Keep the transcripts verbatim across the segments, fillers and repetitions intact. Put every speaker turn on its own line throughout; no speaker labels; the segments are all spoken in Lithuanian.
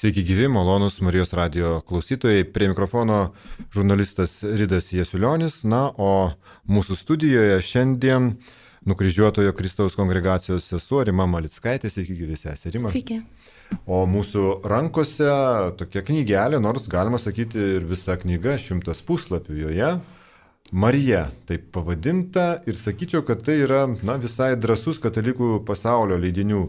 Sveiki gyvi, malonus Marijos radijo klausytojai. Prie mikrofono žurnalistas Ridas Jasulionis. Na, o mūsų studijoje šiandien nukryžiuotojo Kristaus kongregacijos sesuo Rima Malickaitė. Sveiki gyvi, sesė Rima.
Sveiki.
O mūsų rankose tokia knygelė, nors galima sakyti ir visa knyga, šimtas puslapių joje. Marija taip pavadinta ir sakyčiau, kad tai yra na, visai drąsus katalikų pasaulio leidinių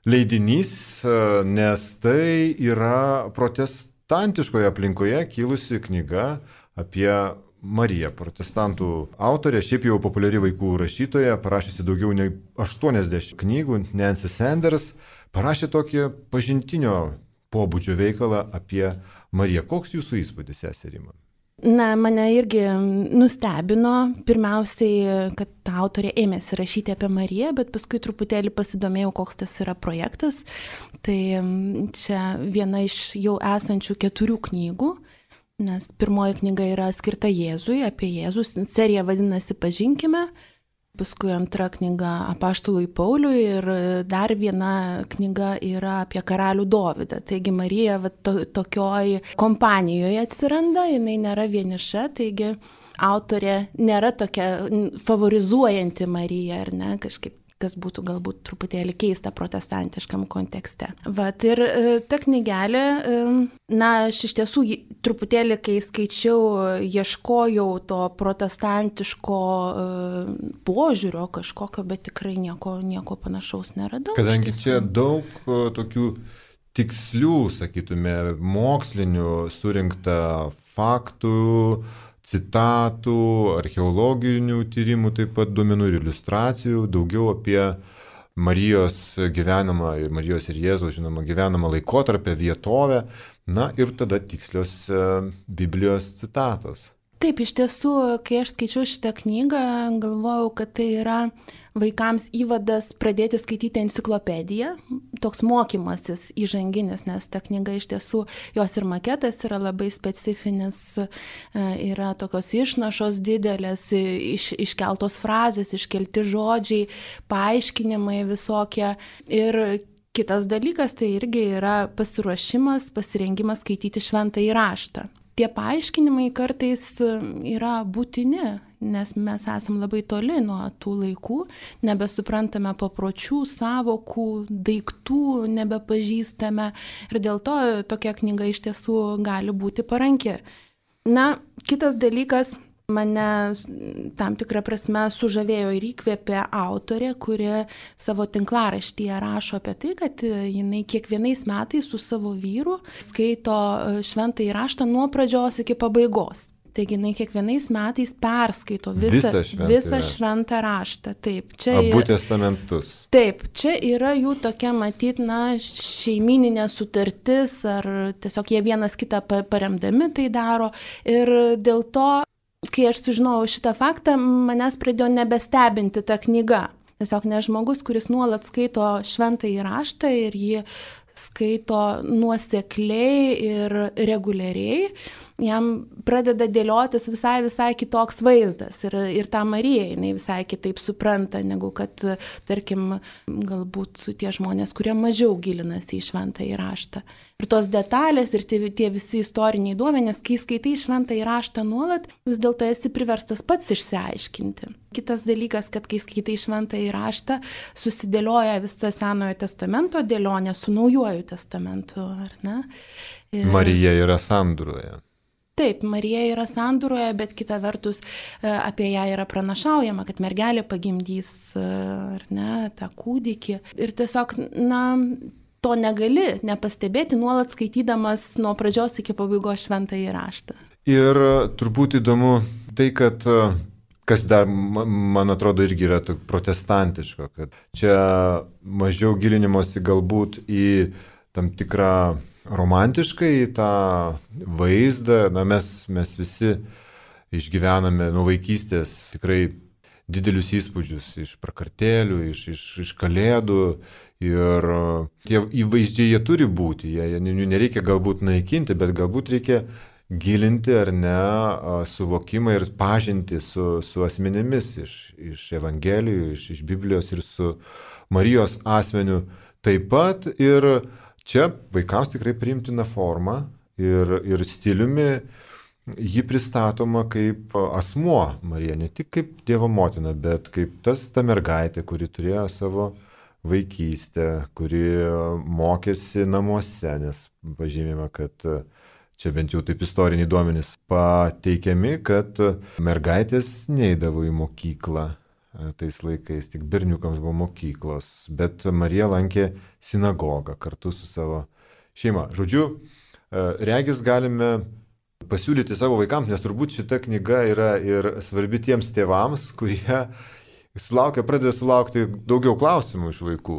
leidinys, nes tai yra protestantiškoje aplinkoje kilusi knyga apie Mariją. Protestantų autorė, šiaip jau populiari vaikų rašytoja, parašysi daugiau nei aštuoniasdešimt knygų, Nancy Sanders, parašė tokį pažintinio pobūdžio veikalą apie Mariją. Koks jūsų įspūdis, sesė Rima?
Na, mane irgi nustebino, pirmiausiai, kad ta autorė ėmėsi rašyti apie Mariją, bet paskui truputėlį pasidomėjau, koks tas yra projektas. Tai čia viena iš jau esančių keturių knygų, nes pirmoji knyga yra skirta Jėzui, apie Jėzus, serija vadinasi Pažinkime, paskui antra knyga Apaštalui Pauliui ir dar viena knyga yra apie karalių Dovydą. Taigi Marija va, to, tokioj kompanijoje atsiranda, jinai nėra vieniša, taigi autorė nėra tokia favorizuojanti Mariją, ar ne, kažkaip kas būtų galbūt truputėlį keista protestantiškam kontekste. Vat ir ta knygelė, na, aš iš tiesų truputėlį, kai skaičiau, ieškojau to protestantiško požiūrio kažkokio, bet tikrai nieko, nieko panašaus neradau.
Kadangi čia daug tokių tikslių, sakytume, mokslinių surinkta faktų, citatų, archeologinių tyrimų, taip pat duomenų ir iliustracijų, daugiau apie Marijos gyvenamą ir Marijos ir Jėzaus, žinoma, gyvenamą laikotarpį, vietovę, na ir tada tikslios Biblijos citatos.
Taip, iš tiesų, kai aš skaičiau šitą knygą, galvojau, kad tai yra vaikams įvadas pradėti skaityti enciklopediją, toks mokymasis įžanginis, nes ta knyga iš tiesų, jos ir maketas yra labai specifinis, yra tokios išnašos didelės, iš, iškeltos frazės, iškelti žodžiai, paaiškinimai visokie ir kitas dalykas tai irgi yra pasiruošimas, pasirengimas skaityti šventąjį raštą. Tie paaiškinimai kartais yra būtini, nes mes esam labai toli nuo tų laikų, nebesuprantame papročių, savokų, daiktų nebepažįstame ir dėl to tokia knyga iš tiesų gali būti paranki. Na, kitas dalykas, mane tam tikrą prasme sužavėjo ir įkvėpė autorė, kuri savo tinklaraštyje rašo apie tai, kad jinai kiekvienais metais su savo vyru skaito šventąjį raštą nuo pradžios iki pabaigos. Taigi jinai kiekvienais metais perskaito visą, visą, visą šventą raštą. Taip, čia
Abu testamentus.
Taip, čia yra jų tokia, matyt, na, šeimyninė sutartis, ar tiesiog jie vienas kitą paremdami tai daro. Ir dėl to, kai aš sužinojau šitą faktą, manęs pradėjo nebestebinti ta knyga. Tiesiog ne žmogus, kuris nuolat skaito šventąjį raštą ir jį skaito nuosekliai ir reguliariai, jam pradeda dėliotis visai, visai kitoks vaizdas. Ir, ir tą Mariją jinai visai kitaip supranta, negu kad, tarkim, galbūt tie žmonės, kurie mažiau gilinasi į šventąjį raštą. Ir tos detalės ir tie, tie visi istoriniai duomenys, kai skaitai šventąjį raštą nuolat, vis dėlto esi priverstas pats išsiaiškinti. Kitas dalykas, kad kai skaitai šventąjį raštą, susidėlioja visą Senojo testamento dėlionė su Naujuoju testamentu, ar ne? Ir...
Marija yra sandūroje.
Taip, Marija yra sandūroje, bet kita vertus apie ją yra pranašaujama, kad mergelė pagimdys, ar ne, tą kūdikį. Ir tiesiog, na, to negali nepastebėti, nuolat skaitydamas nuo pradžios iki pabaigos šventąjį raštą.
Ir turbūt įdomu tai, kad, kas dar, man atrodo, irgi yra protestantiško, kad čia mažiau gilinimosi galbūt į tam tikrą romantiškai tą vaizdą, na, mes, mes visi išgyvename nuo vaikystės tikrai didelius įspūdžius iš prakartėlių, iš, iš, iš kalėdų ir tie įvaizdžiai jie turi būti, jie, jų nereikia galbūt naikinti, bet galbūt reikia gilinti ar ne suvokimą ir pažinti su, su asmenėmis iš, iš Evangelijų, iš, iš Biblijos ir su Marijos asmeniu taip pat ir Čia vaikams tikrai priimtina forma ir, ir stiliumi ji pristatoma kaip asmuo Marija, ne tik kaip Dievo motina, bet kaip tas ta mergaitė, kuri turėjo savo vaikystę, kuri mokėsi namuose, nes pažymime, kad čia bent jau taip istoriniai duomenys pateikiami, kad mergaitės neidavo į mokyklą tais laikais, tik berniukams buvo mokyklos, bet Marija lankė sinagogą kartu su savo šeima. Žodžiu, regis galime pasiūlyti savo vaikams, nes turbūt šita knyga yra ir svarbi tiems tėvams, kurie sulaukia, pradeda sulaukti daugiau klausimų iš vaikų.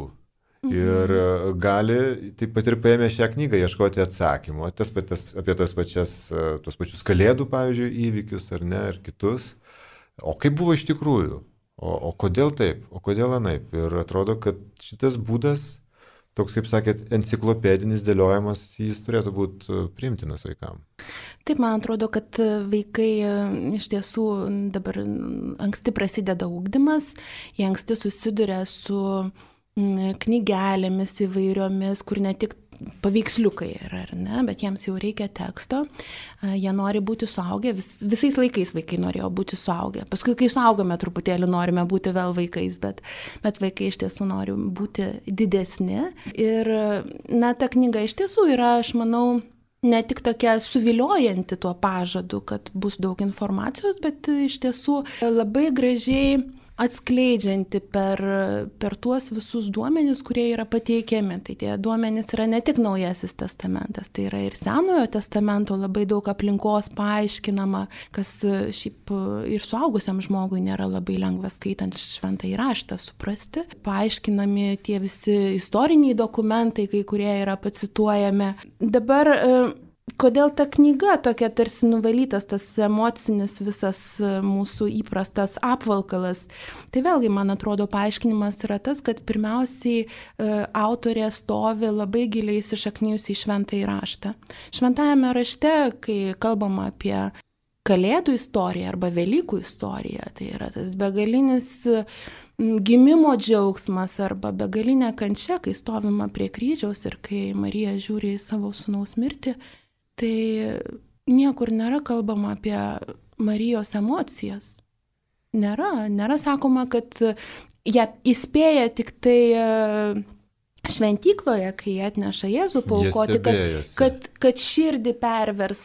Ir gali taip pat ir paėmę šią knygą ieškoti atsakymų tas paties, apie tas pačias, tos pačius kalėdų, pavyzdžiui, įvykius ar ne, ir kitus. O kaip buvo iš tikrųjų? O, o kodėl taip? O kodėl anaip? Ir atrodo, kad šitas būdas, toks, kaip sakėt, enciklopedinis dėliojimas, jis turėtų būti priimtinas vaikams.
Taip, man atrodo, kad vaikai iš tiesų dabar anksti prasideda ugdymas, jie anksti susiduria su knygelėmis įvairiomis, kur ne tik paveiksliukai yra, ar ne, bet jiems jau reikia teksto, jie nori būti suaugę, vis, visais laikais vaikai norėjo būti suaugę, paskui kai suaugame truputėlį norime būti vėl vaikais, bet, bet vaikai iš tiesų nori būti didesni ir na, ta knyga iš tiesų yra, aš manau, ne tik tokia suviliojanti tuo pažadu, kad bus daug informacijos, bet iš tiesų labai gražiai atskleidžianti per, per tuos visus duomenis, kurie yra pateikiami. Tai tie duomenys yra ne tik Naujasis testamentas, tai yra ir Senojo testamento labai daug aplinkos paaiškinama, kas šiaip ir suaugusiam žmogui nėra labai lengva skaitant šventąjį raštą suprasti. Paaiškinami tie visi istoriniai dokumentai, kai kurie yra pacituojami. Dabar kodėl ta knyga tokia tarsi nuvalytas, tas emocinis visas mūsų įprastas apvalkalas? Tai vėlgi, man atrodo, paaiškinimas yra tas, kad pirmiausiai autorė stovi labai giliai įsišaknijusi į šventąjį raštą. Šventajame rašte, kai kalbama apie Kalėdų istoriją arba Velykų istoriją, tai yra tas begalinis gimimo džiaugsmas arba begalinė kančia, kai stovima prie kryžiaus ir kai Marija žiūri į savo sūnaus mirtį, tai niekur nėra kalbama apie Marijos emocijas. Nėra, nėra sakoma, kad ją įspėja tik tai šventykloje, kai atneša Jėzų paaukoti, kad, kad, kad širdį pervers.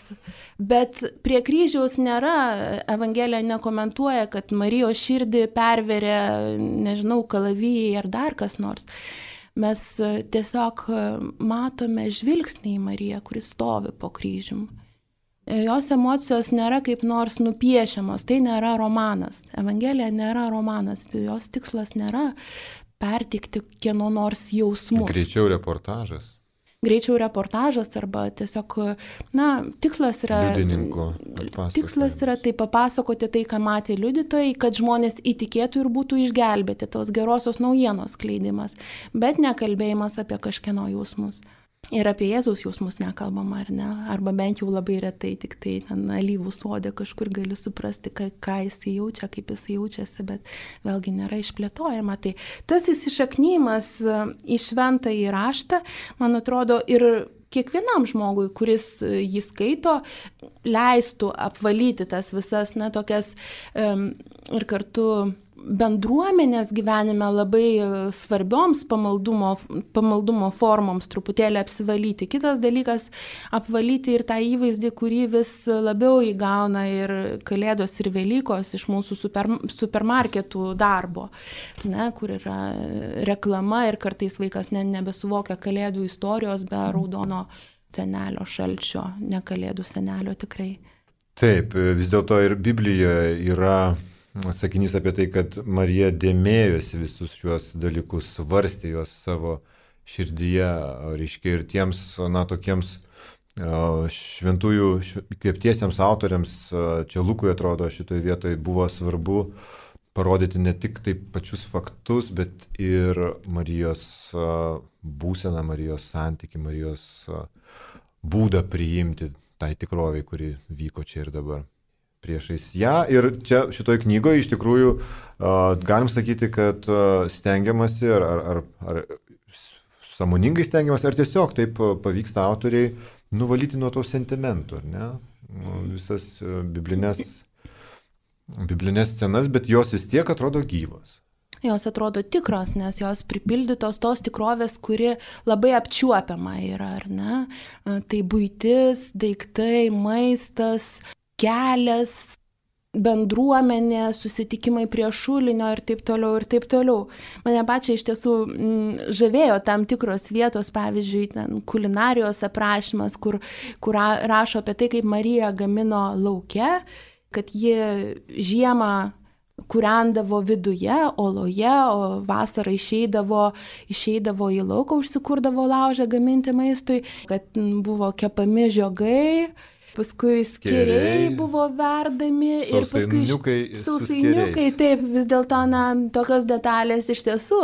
Bet prie kryžiaus nėra, Evangelija nekomentuoja, kad Marijos širdį perveria, nežinau, kalavijai ar dar kas nors. Mes tiesiog matome žvilgsnį į Mariją, kuris stovi po kryžium. Jos emocijos nėra kaip nors nupiešiamos, tai nėra romanas. Evangelija nėra romanas, jos tikslas nėra perteikti kieno nors jausmus.
Greičiau reportažas.
Greičiau reportažas arba tiesiog, na, tikslas yra, tikslas yra tai papasakoti tai, ką matė liudytojai, kad žmonės įtikėtų ir būtų išgelbėti, tos gerosios naujienos skleidimas, bet nekalbėjimas apie kažkieno jausmus. Ir apie Jėzaus jausmus nekalbama, ar ne? Arba bent jau labai retai, tik tai ten alyvų sode kažkur gali suprasti, ką, ką jisai jaučia, kaip jisai jaučiasi, bet vėlgi nėra išplėtojama. Tai tas įsišaknyjimas į šventąjį raštą, man atrodo, ir kiekvienam žmogui, kuris jį skaito, leistų apvalyti tas visas, na, tokias um, ir kartu bendruomenės gyvenime labai svarbioms pamaldumo, pamaldumo formoms truputėlį apsivalyti. Kitas dalykas – apvalyti ir tą įvaizdį, kurį vis labiau įgauna ir Kalėdos ir Velykos iš mūsų super, supermarketų darbo, ne, kur yra reklama ir kartais vaikas ne, nebesuvokia Kalėdų istorijos be raudono senelio šalčio, ne Kalėdų senelio tikrai.
Taip, vis dėlto ir Biblijoje yra sakinys apie tai, kad Marija dėmėjosi visus šiuos dalykus, svarstė juos savo širdyje, reiškia ir tiems, na, tokiems šventųjų įkvėptiesiems autoriams, čia Lukui atrodo šitoje vietoje buvo svarbu parodyti ne tik taip pačius faktus, bet ir Marijos būseną, Marijos santykį, Marijos būdą priimti tai tikrovei, kuri vyko čia ir dabar priešais ją. Ir čia šitoje knygoje iš tikrųjų uh, galim sakyti, kad uh, stengiamasi ar, ar, ar sąmoningai stengiamas, ar tiesiog taip pavyksta autoriai nuvalyti nuo to sentimentų, ar ne? Visas biblinės, biblinės scenas, bet jos vis tiek atrodo gyvos.
Jos atrodo tikros, nes jos pripildytos tos tikrovės, kuri labai apčiuopiama yra, ar ne? Tai buitis, daiktai, maistas, kelias, bendruomenė, susitikimai prie šulinio ir taip toliau ir taip toliau. Mane pačiai iš tiesų m, žavėjo tam tikros vietos, pavyzdžiui, ten kulinarijos aprašymas, kur, kur rašo apie tai, kaip Marija gamino lauke, kad ji žiemą kūrendavo viduje, oloje, o vasarą išeidavo, išeidavo į lauką, užsikurdavo laužą gaminti maistui, kad buvo kepami žiogai, paskui skėriai buvo verdami ir paskui sausainiukai, taip, vis dėlto, na, tokios detalės iš tiesų,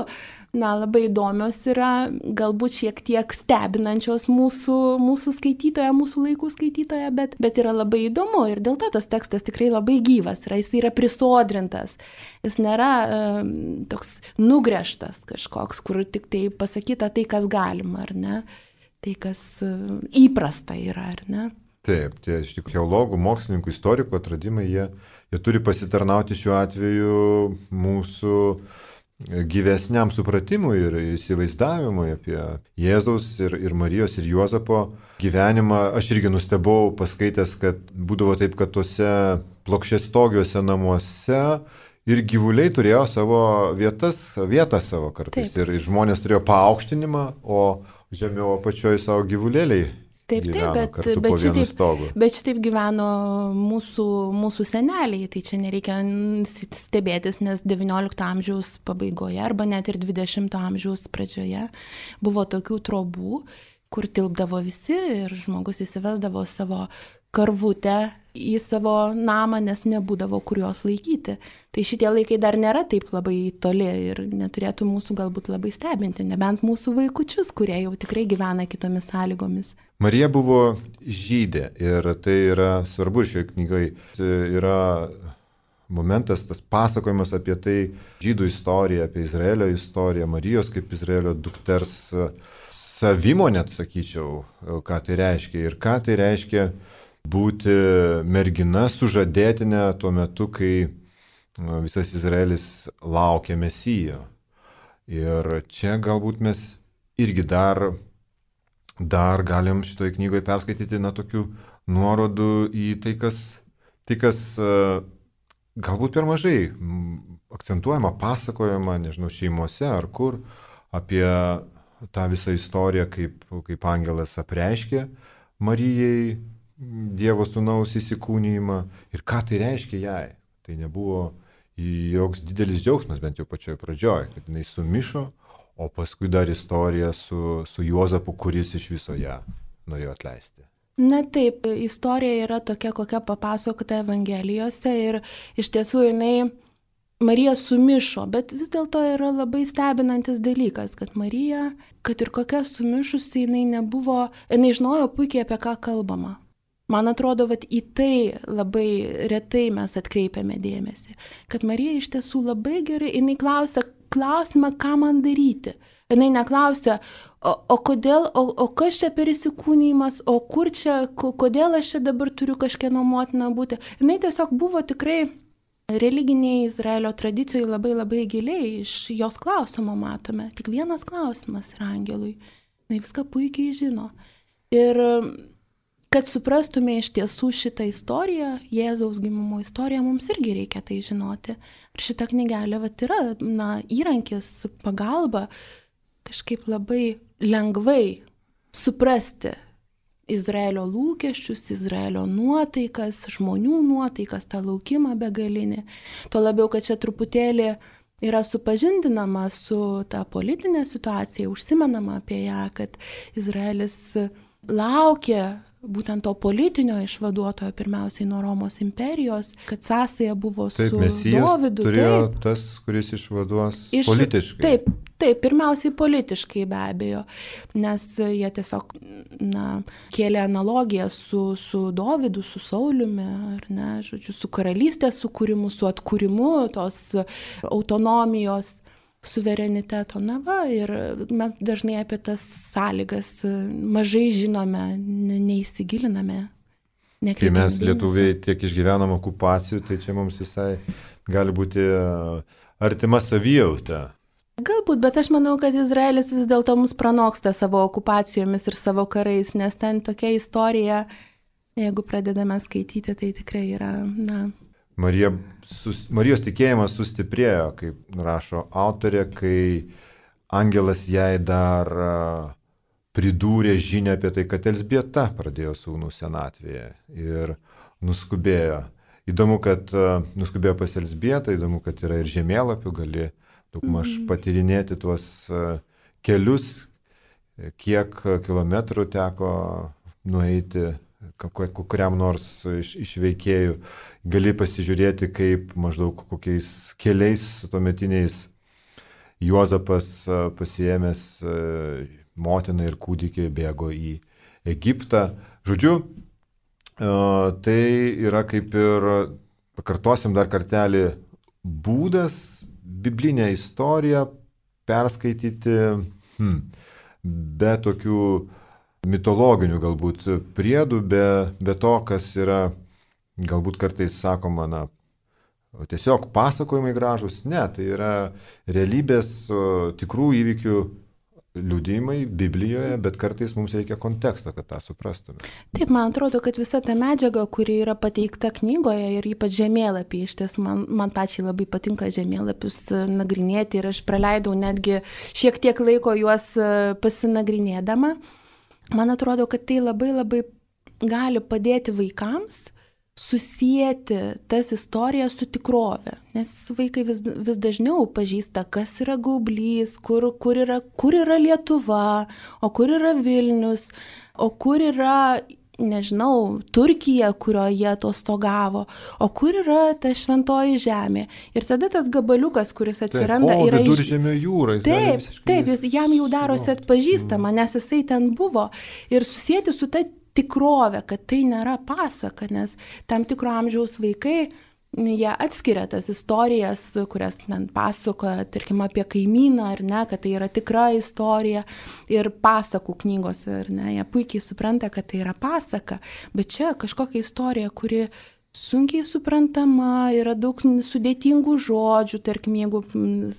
na, labai įdomios yra, galbūt šiek tiek stebinančios mūsų, mūsų skaitytoje, mūsų laikų skaitytoje, bet, bet yra labai įdomu ir dėl to tas tekstas tikrai labai gyvas yra, jis yra prisodrintas, jis nėra um, toks nugręžtas kažkoks, kur tik tai pasakyta tai, kas galima, ar ne, tai, kas uh, įprasta yra, ar ne.
Taip, tie iš tikrųjų teologų, mokslininkų, istorikų atradimai, jie, jie turi pasitarnauti šiuo atveju mūsų gyvesniam supratimui ir įsivaizdavimui apie Jėzaus ir, ir Marijos ir Juozapo gyvenimą. Aš irgi nustebau paskaitęs, kad būdavo taip, kad tuose plokščiastogiuose namuose ir gyvuliai turėjo savo vietas, vietą savo kartais. Taip. Ir žmonės turėjo paaukštinimą, o žemiau apačioje savo gyvulėliai.
Taip, taip, bet, bet, šitaip, bet šitaip gyveno mūsų, mūsų seneliai, tai čia nereikia stebėtis, nes devyniolikto amžiaus pabaigoje arba net ir dvidešimto amžiaus pradžioje buvo tokių trobų, kur tilpdavo visi ir žmogus įsivesdavo savo karvutę į savo namą, nes nebūdavo kur jos laikyti. Tai šitie laikai dar nėra taip labai toli ir neturėtų mūsų galbūt labai stebinti, nebent mūsų vaikučius, kurie jau tikrai gyvena kitomis sąlygomis.
Marija buvo žydė ir tai yra svarbu šioje knygoje. Yra momentas, tas pasakojimas apie tai, žydų istoriją, apie Izraelio istoriją, Marijos kaip Izraelio dukters savimo, net sakyčiau, ką tai reiškia ir ką tai reiškia būti mergina sužadėtinė tuo metu, kai visas Izraelis laukia Mesijo. Ir čia galbūt mes irgi dar, dar galim šitoje knygoje perskaityti na, tokių nuorodų į tai, kas, tai, kas galbūt per mažai akcentuojama, pasakojama, nežinau, šeimose ar kur, apie tą visą istoriją, kaip, kaip angelas apreiškė Marijai Dievo sūnaus įsikūnijimą ir ką tai reiškia jai. Tai nebuvo joks didelis džiaugsmas, bent jau pačioje pradžioje, kad jinai sumišo, o paskui dar istorija su, su Juozapu, kuris iš viso ją norėjo atleisti.
Na taip, istorija yra tokia, kokia papasakota Evangelijose ir iš tiesų jinai Marija sumišo, bet vis dėlto yra labai stebinantis dalykas, kad Marija, kad ir kokia sumišusi, jinai nebuvo, jinai žinojo puikiai, apie ką kalbama. Man atrodo, kad į tai labai retai mes atkreipiame dėmesį, kad Marija iš tiesų labai gerai, jinai klausia klausimą, ką man daryti. Jinai neklausia, o, o kodėl, o, o kas čia per įsikūnijimas, o kur čia, kodėl aš čia dabar turiu kažkieno motina būti. Jinai tiesiog buvo tikrai religiniai Izraelio tradicijoje labai labai giliai, iš jos klausimo matome. Tik vienas klausimas yra angelui. Jinai viską puikiai žino. Ir kad suprastume iš tiesų šitą istoriją, Jėzaus gimimo istoriją, mums irgi reikia tai žinoti. Ir šita knygelė vat, yra na, įrankis, pagalba kažkaip labai lengvai suprasti Izraelio lūkesčius, Izraelio nuotaikas, žmonių nuotaikas, tą laukimą begalinį. Tuo labiau, kad čia truputėlį yra supažindinama su ta politinė situacija, užsimenama apie ją, kad Izraelis laukia būtent to politinio išvaduotojo pirmiausiai nuo Romos imperijos, kad sąsaja buvo
taip,
su
Mesijas
Dovydu.
Turėjo
taip,
tas, kuris išvaduos
iš,
politiškai.
Taip, taip, pirmiausiai politiškai be abejo, nes jie tiesiog na, kėlė analogiją su, su Dovydu, su Sauliumi, ar ne, žodžiu, su karalystės sukūrimu, su atkūrimu tos autonomijos. suvereniteto. Na va, ir mes dažnai apie tas sąlygas mažai žinome, neįsigiliname.
Kai mes lietuviai tiek išgyvenam okupacijų, tai čia mums visai gali būti artima savijauta.
Galbūt, bet aš manau, kad Izraelis vis dėlto mus pranoksta savo okupacijomis ir savo karais, nes ten tokia istorija, jeigu pradedame skaityti, tai tikrai yra, na...
Marija, sus, Marijos tikėjimas sustiprėjo, kaip rašo autorė, kai angelas jai dar pridūrė žinią apie tai, kad Elzbieta pradėjo sūnų senatvėje ir nuskubėjo. Įdomu, kad nuskubėjo pas Elzbietą, įdomu, kad yra ir žemėlapių, gali daugmaž patyrinėti tuos kelius, kiek kilometrų teko nueiti kuriam nors iš, iš veikėjų. Gali pasižiūrėti, kaip maždaug kokiais keliais tuometiniais Juozapas pasiėmęs motiną ir kūdikį bėgo į Egiptą. Žodžiu, tai yra kaip ir, pakartosim dar kartelį, būdas biblinę istoriją perskaityti hmm, be tokių mitologinių galbūt priedų, be, be to, kas yra galbūt kartais sakoma, na, tiesiog pasakojimai gražus. Ne, tai yra realybės tikrų įvykių liudijimai Biblijoje, bet kartais mums reikia konteksto, kad tą suprastume.
Taip, man atrodo, kad visa ta medžiaga, kuri yra pateikta knygoje ir ypač žemėlapiai, iš tiesų man, man pačiai labai patinka žemėlapius nagrinėti ir aš praleidau netgi šiek tiek laiko juos pasinagrinėdama. Man atrodo, kad tai labai labai gali padėti vaikams susijęti tas istorijas su tikrove, nes vaikai vis, vis dažniau pažįsta, kas yra Gaublys, kur, kur, yra, kur yra Lietuva, o kur yra Vilnius, o kur yra, nežinau, Turkija, kurioje atostogavo, o kur yra ta šventoji žemė. Ir tada tas gabaliukas, kuris atsiranda,
taip, o,
yra iš...
Viduržemio jūra.
Taip, visiškai... taip, jis, jam jau darosi atpažįstama, nes jisai ten buvo. Ir susijęti su ta tikrovė, kad tai nėra pasaka, nes tam tikro amžiaus vaikai, jie atskiria tas istorijas, kurias ten pasakoja, tarkim, apie kaimyną, ar ne, kad tai yra tikra istorija ir pasakų knygos, ar ne, jie puikiai supranta, kad tai yra pasaka, bet čia kažkokia istorija, kuri sunkiai suprantama, yra daug sudėtingų žodžių, tarkim, jeigu,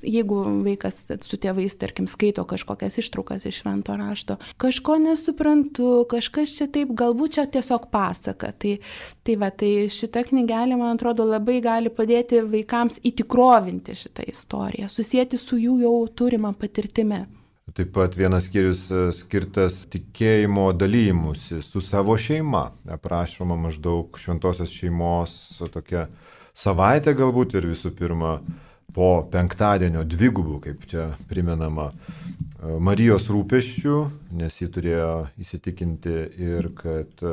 jeigu vaikas su tėvais, tarkim, skaito kažkokias ištraukas iš švento rašto, kažko nesuprantu, kažkas čia taip, galbūt čia tiesiog pasaka. Tai, tai, va, tai šita knygelė, man atrodo, labai gali padėti vaikams įtikrovinti šitą istoriją, susijęti su jų jau turima patirtimi.
Taip pat vienas skyrius skirtas tikėjimo dalymusi su savo šeima. Aprašoma maždaug šventosios šeimos tokia savaitė galbūt ir visų pirma po penktadienio dvigubų, kaip čia primenama, Marijos rūpesčių, nes ji turėjo įsitikinti ir kad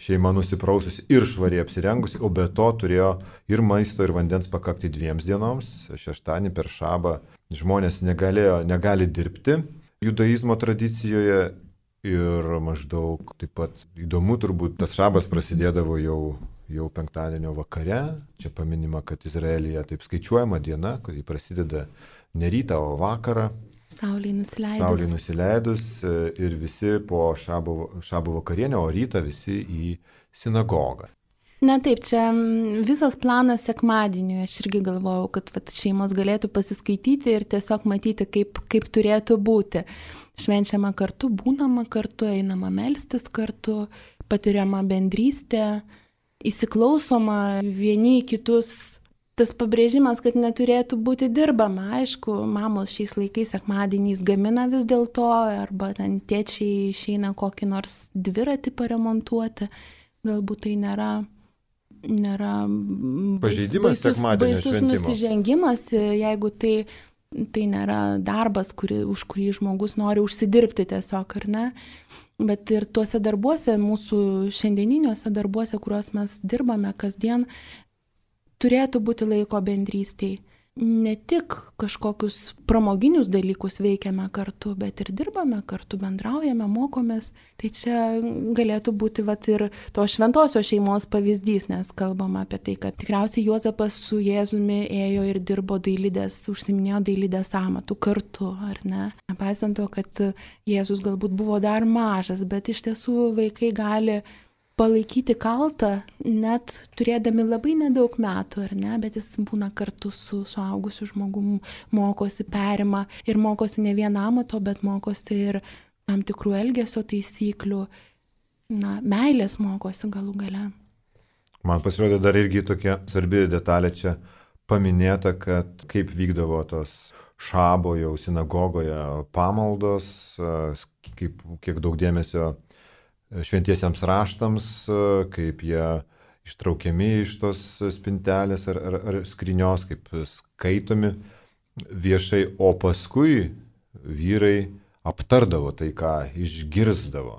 šeima nusipraususi ir švariai apsirengusi, o be to turėjo ir maisto, ir vandens pakakti dviems dienoms. Šeštadienį per šabą žmonės negalėjo, negali dirbti judaizmo tradicijoje ir maždaug taip pat įdomu turbūt, tas šabas prasidėdavo jau, jau penktadienio vakare. Čia paminima, kad Izraelyje taip skaičiuojama diena, kad ji prasideda ne rytą, o vakarą.
Saulei nusileidus.
Saulei nusileidus ir visi po šabo, šabo vakarienę, o rytą visi į sinagogą.
Na taip, čia visas planas sekmadieniui, aš irgi galvojau, kad vat, šeimos galėtų pasiskaityti ir tiesiog matyti, kaip, kaip turėtų būti. Švenčiama kartu, būnama kartu, einama melstis kartu, patiriama bendrystė, įsiklausoma vieni į kitus. Tas pabrėžimas, kad neturėtų būti dirbama. Aišku, mamos šiais laikais sekmadieniais gamina vis dėlto, arba ten tėčiai išeina kokį nors dviratį paremontuoti. Galbūt tai nėra... nėra
pažeidimas sekmadienio
baisus
šventimo.
Nusižengimas, jeigu tai, tai nėra darbas, kuri, už kurį žmogus nori užsidirbti tiesiog, ar ne. Bet ir tuose darbuose, mūsų šiandieniniuose darbuose, kuriuos mes dirbame kasdien, turėtų būti laiko bendrystėj. ne tik kažkokius pramoginius dalykus veikiame kartu, bet ir dirbame kartu, bendraujame, mokomės. Tai čia galėtų būti vat, ir to šventosios šeimos pavyzdys, nes kalbama apie tai, kad tikriausiai Juozapas su Jėzumi ėjo ir dirbo dailidės, užsiminėjo dailidės amatų kartu, ar ne? Nepaisant to, kad Jėzus galbūt buvo dar mažas, bet iš tiesų vaikai gali palaikyti kaltą, net turėdami labai nedaug metų, ar ne, bet jis būna kartu su suaugusiu žmogum, mokosi, perima ir mokosi ne vieną amato, bet mokosi ir tam tikrų elgesio taisyklių, na, meilės mokosi galų gale.
Man pasirodė dar irgi tokia svarbi detalė čia paminėta, kad kaip vykdavo tos šabo jau sinagogoje pamaldos, kaip, kiek daug dėmesio šventiesiems raštams, kaip jie ištraukiami iš tos spintelės ar, ar, ar skrinios, kaip skaitomi viešai, o paskui vyrai aptardavo tai, ką išgirsdavo.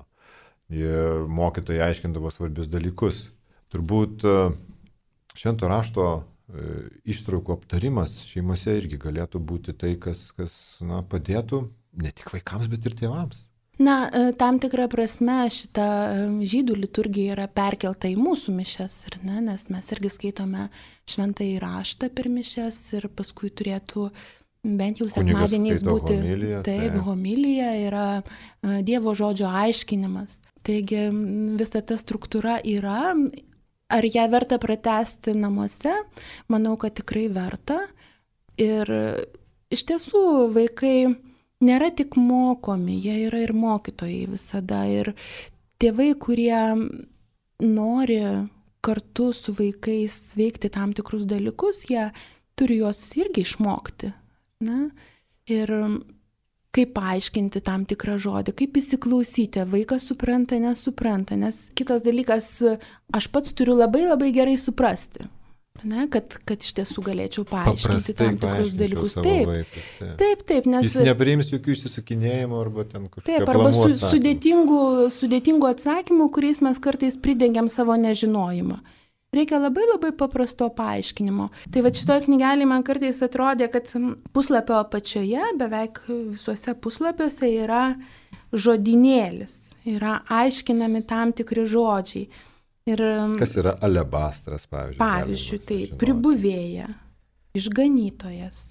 Ir mokytojai aiškindavo svarbius dalykus. Turbūt švento rašto ištraukų aptarimas šeimose irgi galėtų būti tai, kas, kas na, padėtų ne tik vaikams, bet ir tėvams.
Na, tam tikrą prasme šita žydų liturgija yra perkelta į mūsų mišias, ir ne, nes mes irgi skaitome šventąjį raštą per mišias ir paskui turėtų bent jau sekmadieniais būti.
Homilija,
taip, tai. Homilija yra Dievo žodžio aiškinimas. Taigi visa ta struktūra yra. Ar ją verta pratęsti namuose? Manau, kad tikrai verta. Ir iš tiesų vaikai nėra tik mokomi, jie yra ir mokytojai visada. Ir tėvai, kurie nori kartu su vaikais veikti tam tikrus dalykus, jie turi juos irgi išmokti. Ne? Ir kaip paaiškinti tam tikrą žodį, kaip įsiklausyti, vaikas supranta, nesupranta. Nes kitas dalykas, aš pats turiu labai labai gerai suprasti. Ne, kad, kad iš tiesų galėčiau paaiškinti tam tikrus dalykus. Taip,
vaikui, taip.
taip, taip, nes...
Jis nepriims jokių išsisukinėjimų arba ten kažkokių
taip, arba su, sudėtingų, sudėtingų atsakymų, kuriais mes kartais pridengiam savo nežinojimą. Reikia labai labai paprasto paaiškinimo. Tai va šitoje knygelėje man kartais atrodė, kad puslapio apačioje, beveik visuose puslapiuose yra žodynėlis, yra aiškinami tam tikri žodžiai. Ir,
kas yra alebastras, pavyzdžiui?
Pavyzdžiui, tai pribuvėja, išganytojas,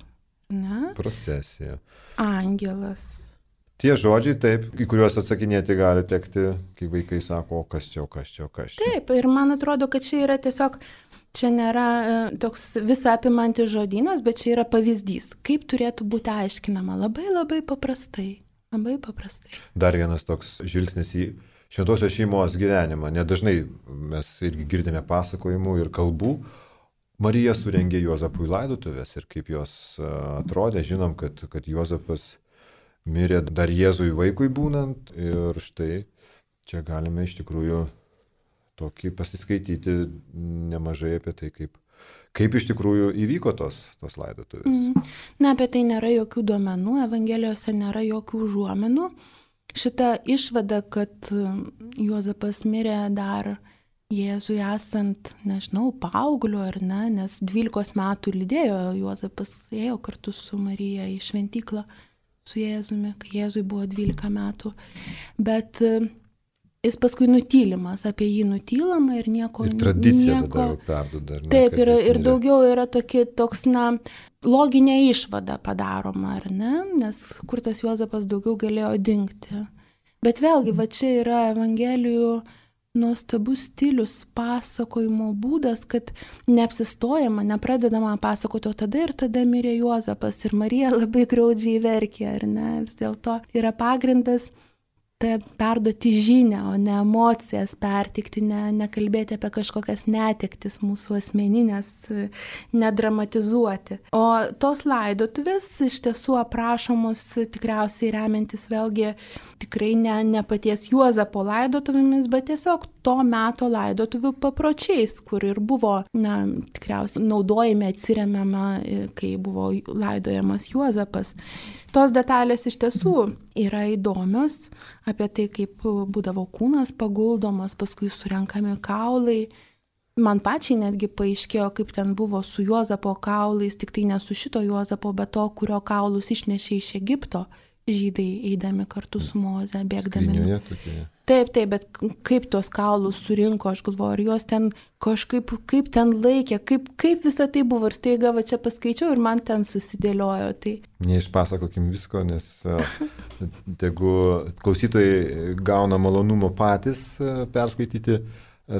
ne?
Procesija.
Angelas.
Tie žodžiai, taip, į kuriuos atsakinėti gali tekti, kai vaikai sako, o kas čia, o kas čia, o kas čia.
Taip, ir man atrodo, kad čia yra tiesiog, čia nėra toks visą apimantis žodynas, bet čia yra pavyzdys, kaip turėtų būti aiškinama. Labai labai paprastai, labai paprastai.
Dar vienas toks žvilgsnis į šventosios šeimos gyvenimą. Nedažnai mes irgi girdime pasakojimų ir kalbų. Marija surengė Juozapui laidotuvės ir kaip jos atrodė. Žinom, kad, kad Juozapas mirė dar Jėzui vaikui būnant. Ir štai čia galime iš tikrųjų tokį pasiskaityti nemažai apie tai, kaip, kaip iš tikrųjų įvyko tos, tos laidotuvės.
Mm. Na, apie tai nėra jokių duomenų, Evangelijose nėra jokių užuominų. Šita išvada, kad Juozapas mirė dar Jėzui esant, nežinau, paaugliu ar ne, nes dvylikos metų lydėjo Juozapas, ėjo kartu su Marija į šventyklą su Jėzumi, kai Jėzui buvo dvylika metų. Bet jis paskui nutylimas, apie jį nutylama ir nieko...
Ir tradicija
nieko...
tada jau perduoda. Ne,
taip, ir, ir
mirė.
daugiau yra tokie, toks, na, loginė išvada padaroma, ar ne? Nes kur tas Juozapas daugiau galėjo dingti. Bet vėlgi, va čia yra Evangelijų nuostabus stilius, pasakojimo būdas, kad neapsistojama, nepradedama pasakoti, o tada ir tada mirė Juozapas ir Marija labai graudžiai verkė, ar ne? Vis dėlto yra pagrindas tai perduoti žinią, o ne emocijas pertikti, ne, nekalbėti apie kažkokias netektis mūsų asmeninės, nedramatizuoti. O tos laidotuvės iš tiesų aprašomos tikriausiai remiantis vėlgi tikrai ne, ne paties Juozapo laidotuvėmis, bet tiesiog to meto laidotuvių papročiais, kur ir buvo, na, tikriausiai naudojami, atsiremiama, kai buvo laidojamas Juozapas. Tos detalės iš tiesų yra įdomios apie tai, kaip būdavo kūnas paguldomas, paskui surenkami kaulai, Man pačiai netgi paaiškėjo, kaip ten buvo su Juozapo kaulais, tik tai ne su šito Juozapo, bet to, kurio kaulus išnešė iš Egipto žydai eidami kartu su Moze, bėgdami.
Skrinioje tokie.
Taip, taip, bet kaip tuos kaulus surinko, aš galvoju, ar juos ten kažkaip, kaip ten laikė, kaip, kaip visą tai buvo. Ir staiga va čia paskaičiau ir man ten susidėliojo. Tai...
Neišpasakokim visko, nes tegu klausytojai gauna malonumo patys perskaityti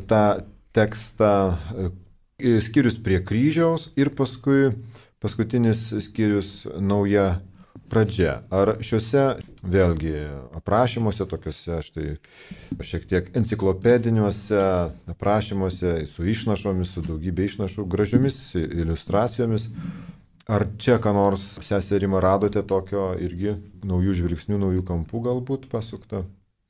tą tekstą, skyrius prie kryžiaus ir paskui paskutinis skyrius nauja pradžia. Ar šiuose vėlgi aprašymuose, tokiuose štai šiek tiek enciklopediniuose aprašymuose su išnašomis, su daugybė išnašų, gražiomis iliustracijomis, ar čia ką nors, sesė Rima, radote tokio irgi naujų žvilgsnių, naujų kampų galbūt pasukta?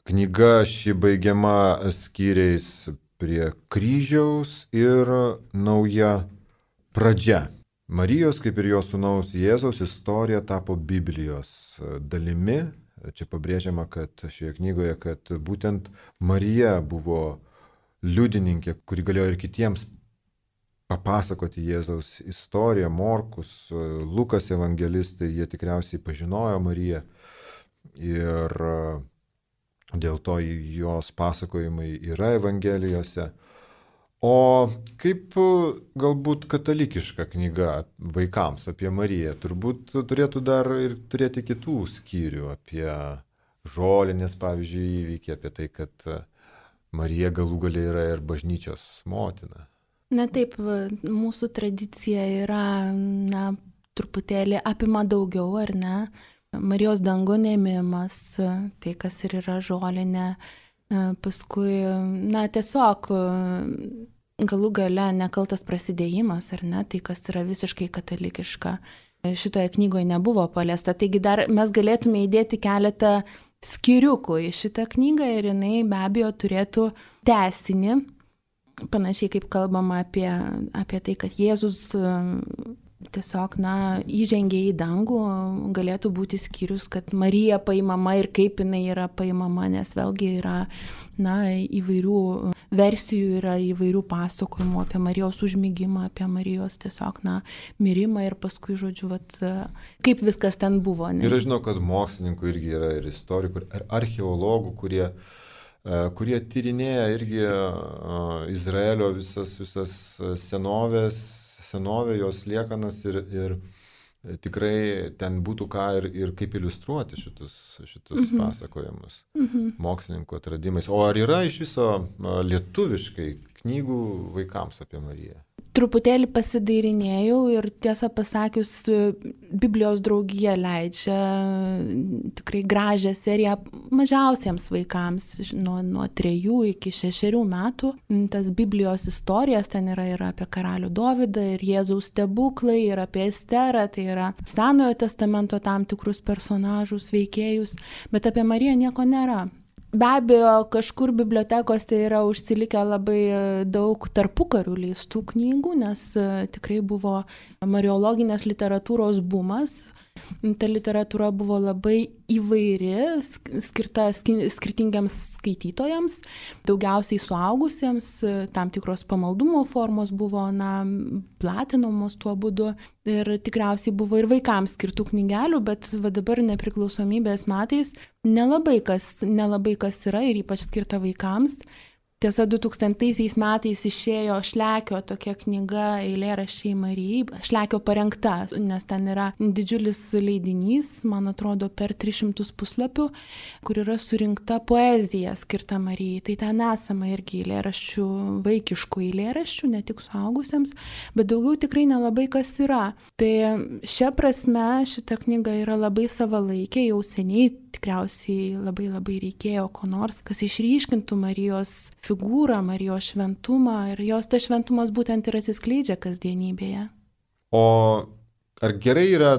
Knyga ši baigiama skyriais prie kryžiaus ir nauja pradžia. Marijos, kaip ir jo sūnaus Jėzaus, istorija tapo Biblijos dalimi. Čia pabrėžiama, kad šioje knygoje, kad būtent Marija buvo liudininkė, kuri galėjo ir kitiems papasakoti Jėzaus istoriją. Morkus, Lukas evangelistai, jie tikriausiai pažinojo Mariją ir dėl to jos pasakojimai yra evangelijose. O kaip galbūt katalikiška knyga vaikams apie Mariją, turbūt turėtų dar ir turėti kitų skyrių apie žolinės, pavyzdžiui, įvykį, apie tai, kad Marija galų gale yra ir bažnyčios motina.
Na taip, mūsų tradicija yra, na, truputėlį apima daugiau, ar ne? Marijos dangun ėmimas, tai kas ir yra žolinė. Paskui, na, tiesiog galų gale nekaltas prasidėjimas, ar ne, tai kas yra visiškai katalikiška. Šitoje knygoje nebuvo paliesta, taigi dar mes galėtume įdėti keletą skyriukų į šitą knygą ir jinai be abejo turėtų tęsinį, panašiai kaip kalbama apie, apie tai, kad Jėzus tiesiog, na, įžengė į dangų, galėtų būti skyrius, kad Marija paimama ir kaip jinai yra paimama, nes vėlgi yra, na, įvairių versijų, yra įvairių pasakojimų apie Marijos užmigimą, apie Marijos tiesiog, na, mirimą ir paskui, žodžiu, vat, kaip viskas ten buvo. Ne?
Ir aš žinau, kad mokslininkų irgi yra ir istorikų, ir archeologų, kurie, kurie tyrinėja irgi Izraelio visas, visas senovės, senovė, jos liekanas ir, ir tikrai ten būtų ką ir, ir kaip iliustruoti šitus, šitus mm-hmm. pasakojimus mm-hmm. mokslininkų atradimais. O ar yra iš viso lietuviškai knygų vaikams apie Mariją?
Truputėlį pasidairinėjau ir tiesą pasakius, Biblijos draugija leidžia tikrai gražią seriją mažiausiems vaikams nuo, nuo trejų iki šešerių metų. Tas Biblijos istorijas ten yra ir apie karalių Dovydą, ir Jėzaus stebuklai, ir apie Esterą, tai yra Senojo testamento tam tikrus personažus, veikėjus, bet apie Mariją nieko nėra. Be abejo, kažkur bibliotekose yra užsilikę labai daug tarpukarių leistų knygų, nes tikrai buvo mariologinės literatūros bumas. Ta literatūra buvo labai įvairi, skirta skirtingiams skaitytojams, daugiausiai suaugusiems, tam tikros pamaldumo formos buvo, na, platinamos tuo būdu ir tikriausiai buvo ir vaikams skirtų knygelių, bet va dabar nepriklausomybės metais nelabai kas, nelabai kas yra ir ypač skirta vaikams. Tiesa, du tūkstantaisiais metais išėjo Šlekio tokia knyga Eilėraščiai Marijai, Šlekio parengta, nes ten yra didžiulis leidinys, man atrodo, per tris šimtus puslapių, kur yra surinkta poezija skirta Marijai. Tai ten esama irgi eilėraščių, vaikiškų eilėraščių, ne tik suaugusiems, bet daugiau tikrai nelabai kas yra. Tai šia prasme šita knyga yra labai savalaikė, jau seniai tikriausiai labai labai reikėjo ko nors, kas išryškintų Marijos figūrą, Marijos šventumą ir jos tas šventumas būtent ir atsiskleidžia kasdienybėje.
O ar gerai yra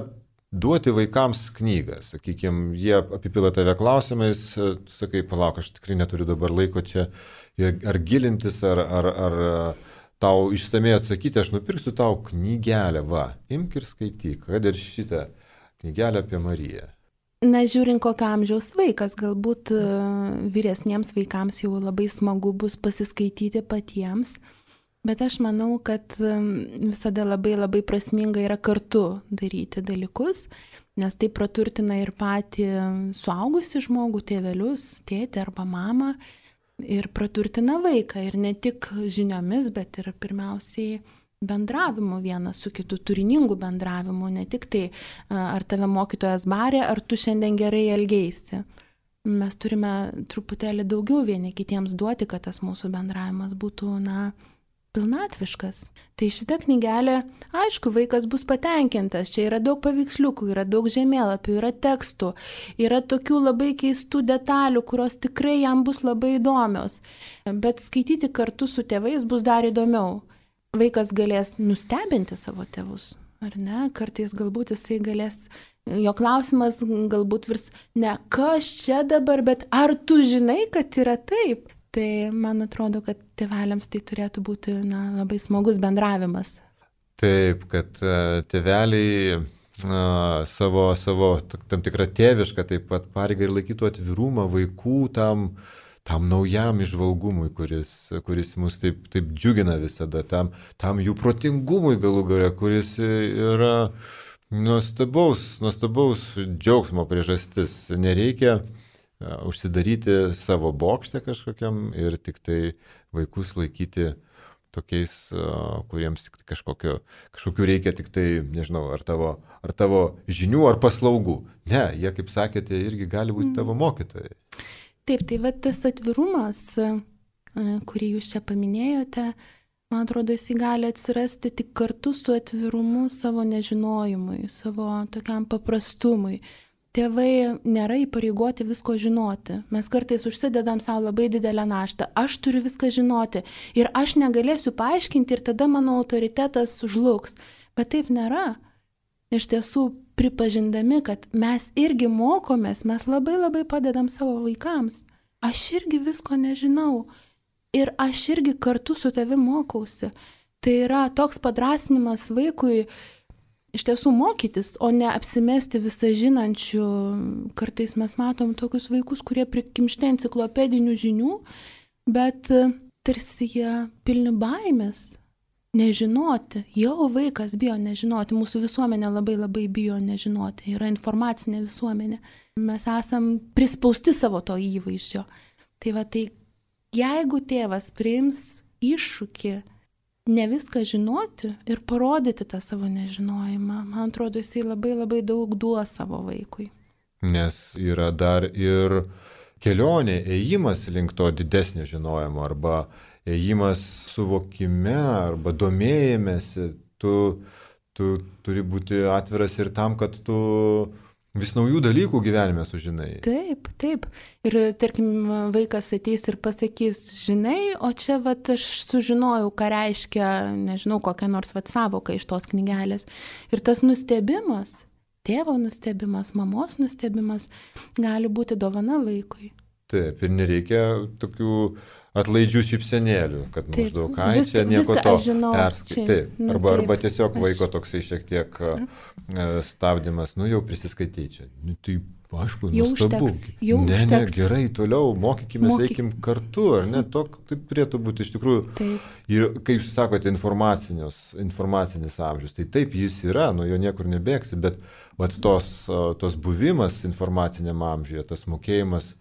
duoti vaikams knygą? Sakykime, jie apipila tave klausimais, tu sakai, palauk, aš tikrai neturiu dabar laiko čia ar gilintis, ar, ar, ar tau išsamei atsakyti, aš nupirksiu tau knygelę, va, imk ir skaityk, kad ir šitą knygelę apie Mariją.
Na, žiūrint kokio amžiaus vaikas, galbūt vyresniems vaikams jau labai smagu bus pasiskaityti patiems. Bet aš manau, kad visada labai labai prasminga yra kartu daryti dalykus, nes tai praturtina ir patį suaugusi žmogų, tėvelius, tėtį arba mamą, ir praturtina vaiką, ir ne tik žiniomis, bet ir pirmiausiai bendravimu vienas su kitu, turiningų bendravimu, ne tik tai, ar tave mokytojas barė, ar tu šiandien gerai elgeisi. Mes turime truputėlį daugiau vieni kitiems duoti, kad tas mūsų bendravimas būtų, na, pilnatviškas. Tai šita knygelė, aišku, vaikas bus patenkintas, čia yra daug paveiksliukų, yra daug žemėlapių, yra tekstų, yra tokių labai keistų detalių, kurios tikrai jam bus labai įdomios. Bet skaityti kartu su tėvais bus dar įdomiau. Vaikas galės nustebinti savo tėvus, ar ne? Kartais galbūt jisai galės, jo klausimas galbūt virs ne kas čia dabar, bet ar tu žinai, kad yra taip? Tai man atrodo, kad tėveliams tai turėtų būti, na, labai smagus bendravimas.
Taip, kad tėveliai na, savo, savo tam tikrą tėvišką taip pat pareigą ir laikytų atvirumą vaikų tam, tam naujam įžvalgumui, kuris, kuris mus taip, taip džiugina visada, tam, tam jų protingumui galų gale, kuris yra nuostabaus, nuostabaus džiaugsmo priežastis. Nereikia užsidaryti savo bokšte kažkokiam ir tik tai vaikus laikyti tokiais, kuriems tik kažkokio, kažkokių reikia tik tai, nežinau, ar tavo, ar tavo žinių, ar paslaugų. Ne, jie, kaip sakėte, irgi gali būti tavo mokytojai.
Taip, tai va tas atvirumas, kurį jūs čia paminėjote, man atrodo, jis gali atsirasti tik kartu su atvirumu savo nežinojimui, savo tokiam paprastumui. Tėvai nėra įpareigoti visko žinoti. Mes kartais užsidedam savo labai didelę naštą. Aš turiu viską žinoti ir aš negalėsiu paaiškinti ir tada mano autoritetas žlugs. Bet taip nėra. Iš tiesų, pripažindami, kad mes irgi mokomės, mes labai labai padedam savo vaikams. Aš irgi visko nežinau ir aš irgi kartu su tavimi mokausi. Tai yra toks padrasinimas vaikui iš tiesų mokytis, o ne apsimesti visą žinančių. Kartais mes matom tokius vaikus, kurie prikimšti enciklopedinių žinių, bet tarsi jie pilni baimės. Nežinoti. Jau vaikas bijo nežinoti. Mūsų visuomenė labai labai bijo nežinoti. Yra informacinė visuomenė. Mes esam prispausti savo to įvaizdžio. Tai va, tai jeigu tėvas priims iššūkį ne viską žinoti ir parodyti tą savo nežinojimą, man atrodo, jisai labai labai daug duos savo vaikui.
Nes yra dar ir kelionė, ėjimas link to didesnio žinojimo arba ėjimas suvokime arba domėjimėsi, tu, tu turi būti atviras ir tam, kad tu vis naujų dalykų gyvenime sužinai.
Taip, taip. Ir tarkim, vaikas ateis ir pasakys, žinai, o čia vat, aš sužinojau, ką reiškia, nežinau, kokią nors vat savoką iš tos knygelės. Ir tas nustebimas, tėvo nustebimas, mamos nustebimas gali būti dovana vaikui.
Taip, ir nereikia tokių atlaidžių šypsenėlių, kad taip, maždaug, ai,
vis,
čia nieko to
perskaitai.
Taip,
nu,
arba,
taip,
arba tiesiog
aš...
vaiko toksai šiek tiek stabdymas, nu jau prisiskaitai čia. Nu, tai, aišku, nuostabu.
Jau
ne,
užteks.
ne, gerai, toliau, mokykime,
Mokyk...
veikim kartu, ar ne, tok, taip turėtų būti iš tikrųjų.
Taip.
Ir kaip jūs sakote, informacinis amžius, tai taip jis yra, nuo jo niekur nebėgsi, bet vat, tos, tos buvimas informaciniam amžiuje, tas mokėjimas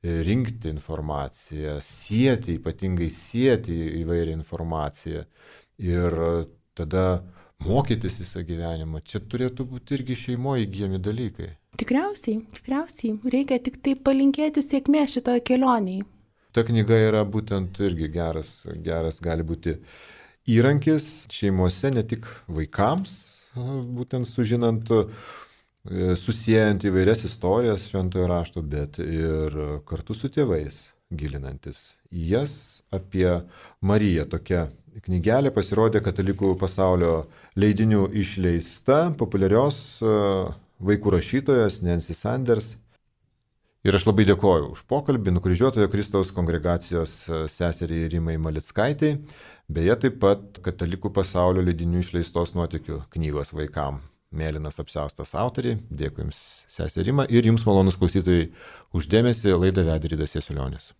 rinkti informaciją, sieti, ypatingai sieti įvairią informaciją ir tada mokytis visą gyvenimą. Čia turėtų būti irgi šeimoje įgyjami dalykai.
Tikriausiai, tikriausiai. Reikia tik tai palinkėti sėkmės šitoje kelionėje.
Ta knyga yra būtent irgi geras, geras gali būti įrankis šeimose, ne tik vaikams, būtent sužinant, susijęjant įvairias istorijas šventojo rašto, bet ir kartu su tėvais gilinantis į jas. Apie Mariją tokia knygelė pasirodė Katalikų pasaulio leidinių išleista, populiarios vaikų rašytojos Nancy Sanders. Ir aš labai dėkoju už pokalbį Nukryžiuotojo Kristaus kongregacijos seseriai Rimai Malickaitei, beje taip pat Katalikų pasaulio leidinių išleistos nuotykių knygos vaikam. Mėlynas apsiaustas autoriai. Dėkui Jums, sesė Rima, ir Jums, malonūs klausytojai, už dėmesį. Laidą vedė Rydas Jasiulionis.